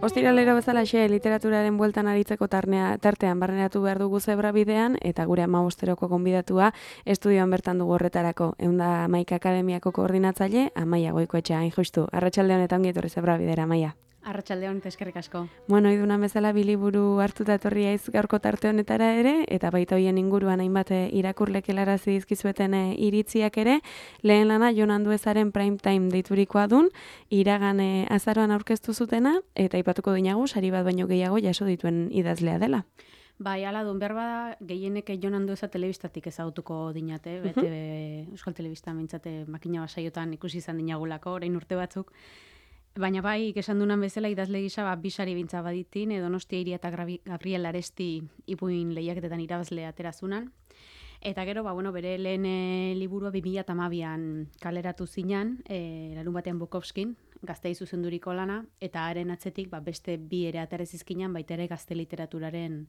Ostiralero bezalaxe literaturaren bueltan aritzeko tartean barneratu behar dugu Zebra Bidean, eta gure 15-eroko gonbidatua estudioan bertan dugu horretarako. 111 Akademiako koordinatzaile Amaia Goikoetxea, hain justu. Arratsalde honetan ongi etorri Zebra Bidera, Amaia. Arratsalde hon, eskerrik asko. Bueno, idunan bezala bi liburu hartuta etorri haiz gaurko tarte honetara ere, eta baita hoien inguruan hainbat irakurlek helarazi dizkizueten iritziak ere. Lehen lana Jon Anduezaren Prime Time deiturikoa dun, iragan azaroan aurkeztu zutena, eta aipatuko dinagu sari bat baino gehiago jaso dituen idazlea dela. Bai, ala dun, behar bada gehienek Jon Andueza telebistatik ezagutuko dinate, bete Euskal Telebista mintzate makina basaiotan ikusi izan dinagulako, orain urte batzuk. Baina bai, esan dunan bezala idazle gisa bisari bintza baditin, Donostia Iria eta Gabriel Aresti ipuin lehiaketetan irabazle aterazunan. Eta gero, bere lehen liburua 2012an kaleratu zinan, larun batean Bukowskin, Gaztei zuzenduriko lana, eta haren atzetik beste bi ere aterezizkinan, baita ere gazte literaturaren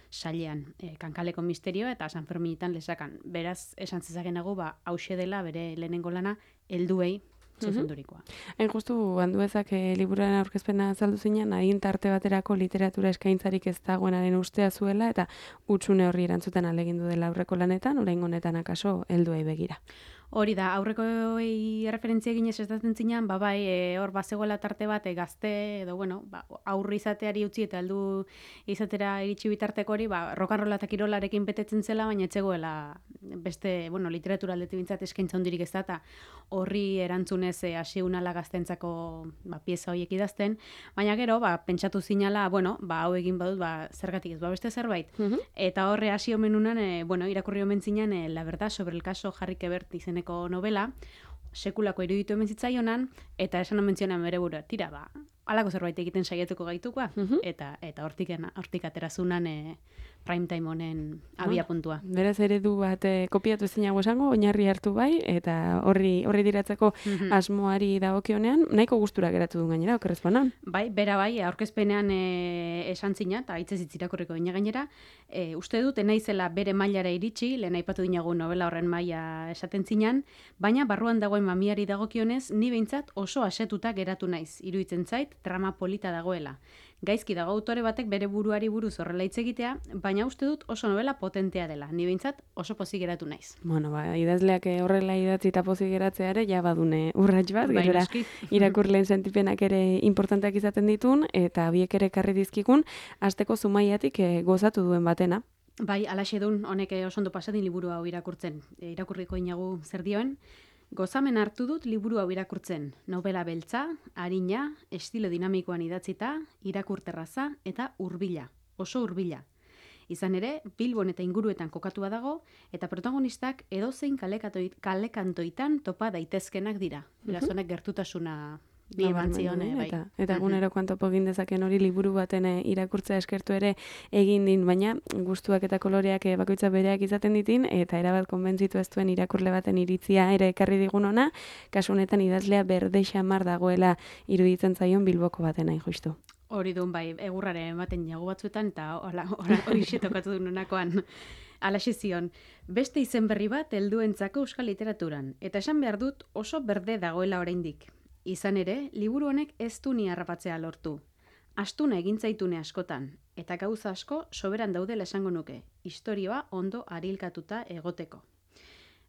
sailean, Kankaleko misterioa eta San Ferminetan lesakan. Beraz, esan zezakenago, hauxe dela bere lehenengo lana, helduei zuzendurikoa. Hain justu, Anduezak liburuaren aurkezpena azaldu zinen, adin tarte baterako literatura eskaintzarik ez dagoenaren ustea zuela, eta hutsune horri erantzuten alegindu dela aurreko lanetan, oraingo honetan akaso helduei begira. Hori da, aurrekoei referentzia eginez ez zinan, hor bazegoela tarte bat gazte, edo aurri izateari utzi eta heldu izatera iritsi bitarteko hori, rokanrola eta kirolarekin betetzen zela, baina etzegoela beste, literatura aldetik bintzat eskaintza hondirik ez da, eta horri erantzunez hasi unala gaztentzako pieza horiek idazten, baina gero, pentsatu zinala, hau egin badut, zergatik ez, beste zerbait. Eta horre hasi omenunan, irakurri omen zinan, La verdad sobre el caso Harry Quebert izeneko novela, sekulako iruditu hemen zitzaionan, eta esan omen zionan bere burua, tira, halako zerbait egiten saiatuko gaitukoa, eta hortik aterazunan primetime honen abia puntua. Beraz eredu bat kopiatu ezinago esango, oinarri hartu bai, eta horri diratzeko asmoari dagokionean, nahiko gustura geratu du gainera, okerrez banan. Bai, bera bai, aurkezpenean esan zina, eta hitzez irakurriko dina gainera, uste dut, naizela bere mailara iritsi, lehen aipatu dinagu novela horren maila esaten zinan, baina barruan dagoen mamiari dagokionez, ni behintzat oso asetuta geratu naiz, iruditzen zait, trama polita dagoela. Gaizki dago autore batek bere buruari buruz horrela hitz egitea, baina uste dut oso novela potentea dela. Ni behintzat oso pozik geratu naiz. Idazleak horrela idatzi eta pozik geratzea ere, ja badune urrats bat, gerora irakurleen sentipenak ere importanteak izaten ditun, eta biek ere karri dizkikun, hasteko Zumaiatik gozatu duen batena. Bai, alaxe dun, honek oso ondo pasadin liburu hau irakurtzen. Irakurriko inagu zer dioen. Gozamen hartu dut liburu hau irakurtzen. Novela beltza, arina, estilo dinamikoan idatzita, irakurterraza eta hurbila, oso hurbila. Izan ere, Bilbon eta inguruetan kokatua dago, eta protagonistak edozein kalekantoitan topa daitezkenak dira. Beraz honek gertutasuna eta egunerokoan topo egin dezaken hori liburu baten irakurtzea eskertu ere egin din, baina gustuak eta koloreak bakoitza bereak izaten ditin, eta erabat konbentzitu ez duen irakurle baten iritzia ere ekarri digun ona, kasu honetan idazlea berde xamar dagoela iruditzen zaion Bilboko baten hain justu. Hori duen bai, egurrare ematen jago batzuetan, eta hori tokatu duen honakoan. Alaxe zion, beste izen berri bat helduentzako euskal literaturan, eta esan behar dut oso berde dagoela oraindik. Izan ere, liburu honek ez du ni harrapatzea lortu. Astuna egintzaitune askotan, eta gauza asko soberan daudela esango nuke, istorioa ondo arilkatuta egoteko.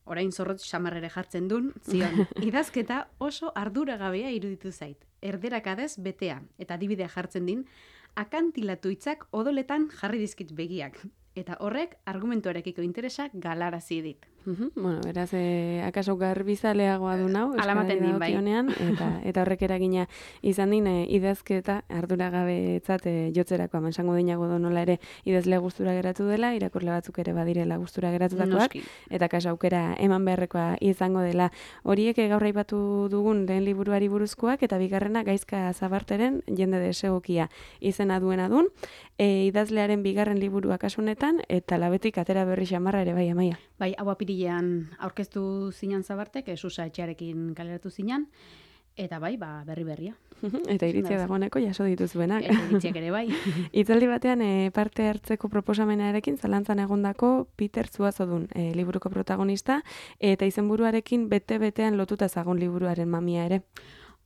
Orain zorrotz xamarrere jartzen dun, zion, idazketa oso arduragabea iruditu zait. Erderakadez betea, eta adibidea jartzen din, akantilatu hitzak odoletan jarri dizkit begiak. Eta horrek argumentuarekiko interesa galarazi dit. Beraz, akaso garbizaleagoa du nau, alamaten din bai. Eta horrek eragina izan din, idazketa arduragabetzat jotzerako, esango dinago do nola ere idazlea gustura geratu dela, irakurle batzuk ere badirela gustura geratutakoak, eta kaso aukera eman beharrekoa izango dela. Horiek gaur aipatu dugun lehen liburuari buruzkoak, eta bigarrena Gaizka Zabarteren Jende desegokia izena duena dun, idazlearen bigarren liburua kasu honetan, eta labetik atera berri xamarra ere bai, Amaia. Bai, hau apirilean aurkeztu zinan Zabartek, Susa etxearekin kaleratu zinan, eta bai, berria. Eta iritzia dagoeneko jaso dituzuenak. Eta iritziak ere bai. Hitzaldi batean parte hartzeko proposamenarekin zalantzan egondako Peter Zuazodun, liburuko protagonista, eta izenburuarekin bete-betean lotuta zagon liburuaren mamia ere.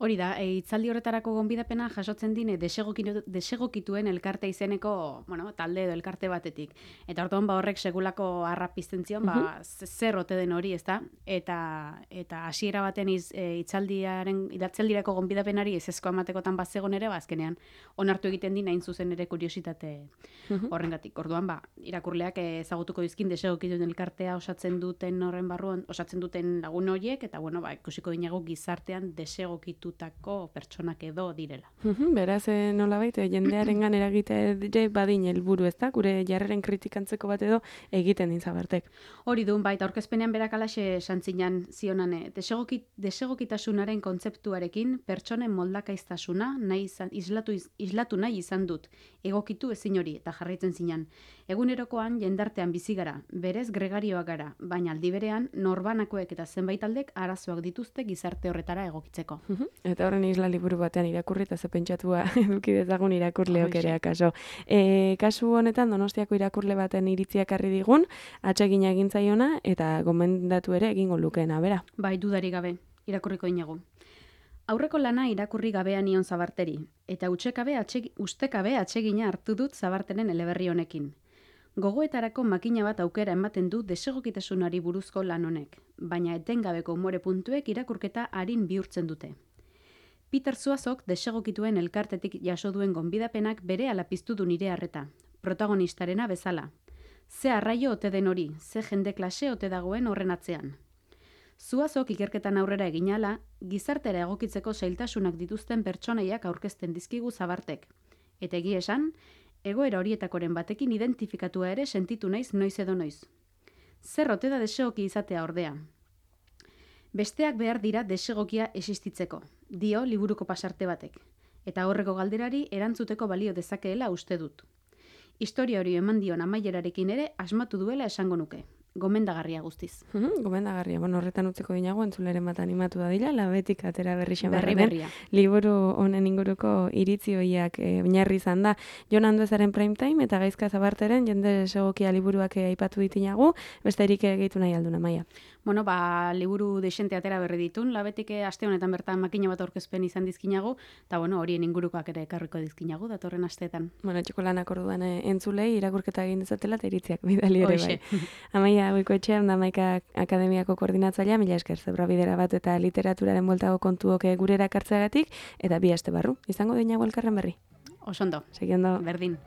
Hori da, hitzaldi horretarako gonbidapena jasotzen dine desegokituen elkarte izeneko, talde edo elkarte batetik. Eta orduan horrek segulako harra pizten zion, zer ote den hori, ezta? Eta hasiera baten hitzaldirako gonbidapenari ezezkoa ematekotan bazegon ere, azkenean onartu egiten din hain zuzen ere kuriositate horrengatik. Orduan irakurleak ezagutuko dizkin desegokituen elkartea osatzen duten horren barruan, osatzen duten lagun horiek, eta ikusiko dinagu gizartean desegokitutako pertsonak edo direla. Beraz, nolabait, jendearengan eragite badin helburu, ezta? Gure jarreren kritikantzeko bat edo egiten din Zabartek. Hori duen, baita aurkezpenean berak alaxe santzinan zionane, desegokitasunaren kontzeptuarekin pertsonen moldakaiztasuna islatu nahi izan dut, egokitu ezin hori, eta jarraitzen zinan. Egunerokoan jendartean bizi gara, berez gregarioak gara, baina aldi berean norbanakoek eta zenbait aldek arazoak dituzte gizarte horretara egokitzeko. Eta horren isla liburu batean irakurri eta ze pentsatua eduki dezagun irakurleok ere akaso. Kasu honetan Donostiako irakurle baten iritziak harri digun, atsegina egin zaiona eta gomendatu ere egingo lukeena, bera. Bai, dudari gabe, irakurriko dinagu. Aurreko lana irakurri gabean nion Zabarteri, eta ustekabe atsegina hartu dut Zabarteren eleberri honekin. Gogoetarako makina bat aukera ematen du desegokitasunari buruzko lan honek, baina etengabeko umore puntuek irakurketa arin bihurtzen dute. Peter Zuazok desegokituen elkartetik jaso duen gonbidapenak bere piztu du nire harreta, protagonistarena bezala. Ze arraio ote den hori, ze jende klase ote dagoen horren atzean. Zuazok ikerketan aurrera eginala, gizartera egokitzeko zailtasunak dituzten pertsonaiak aurkezten dizkigu Zabartek. Eta egia esan, egoera horietakoren batekin identifikatua ere sentitu naiz noiz edo noiz. Zer ote da desegoki izatea ordea? Besteak behar dira desegokia existitzeko, dio liburuko pasarte batek, eta horreko galderari erantzuteko balio dezakeela uste dut. Historia hori eman dion amaierarekin ere asmatu duela esango nuke. Gomendagarria guztiz. Gomendagarria. Horretan utzeko dinago, entzuleren bat animatu da dila, labetik atera berria. Liburu honen inguruko iritzi hoiak oinarri izan da. Jon Anduezaren Prime Time eta Gaizka Zabarteren jende desegokia liburuak aipatu ditinagu, besterik egitu nahi alduna, Maia. Liburu desente atera berri ditun, labetik aste honetan bertan makina bat aurkezpen izan dizkinagu, eta horien ingurukoak ere ekarriko dizkinagu, datorren asteetan. Txokolanak orduan entzulei irakurketa egin dezatela eta iritziak bidali ere bai. Amaia Goikoetxean da Maika Akademiako koordinatzailea, mila esker Zebrabidera bat eta literaturaren bueltago kontuok gurera kartzeagatik, eta bi aste barru. Izango dinago elkarren berri. Osondo. Segiondo. Berdin.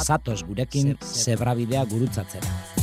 Zatoz gurekin Zebrabidea gurutzatzera.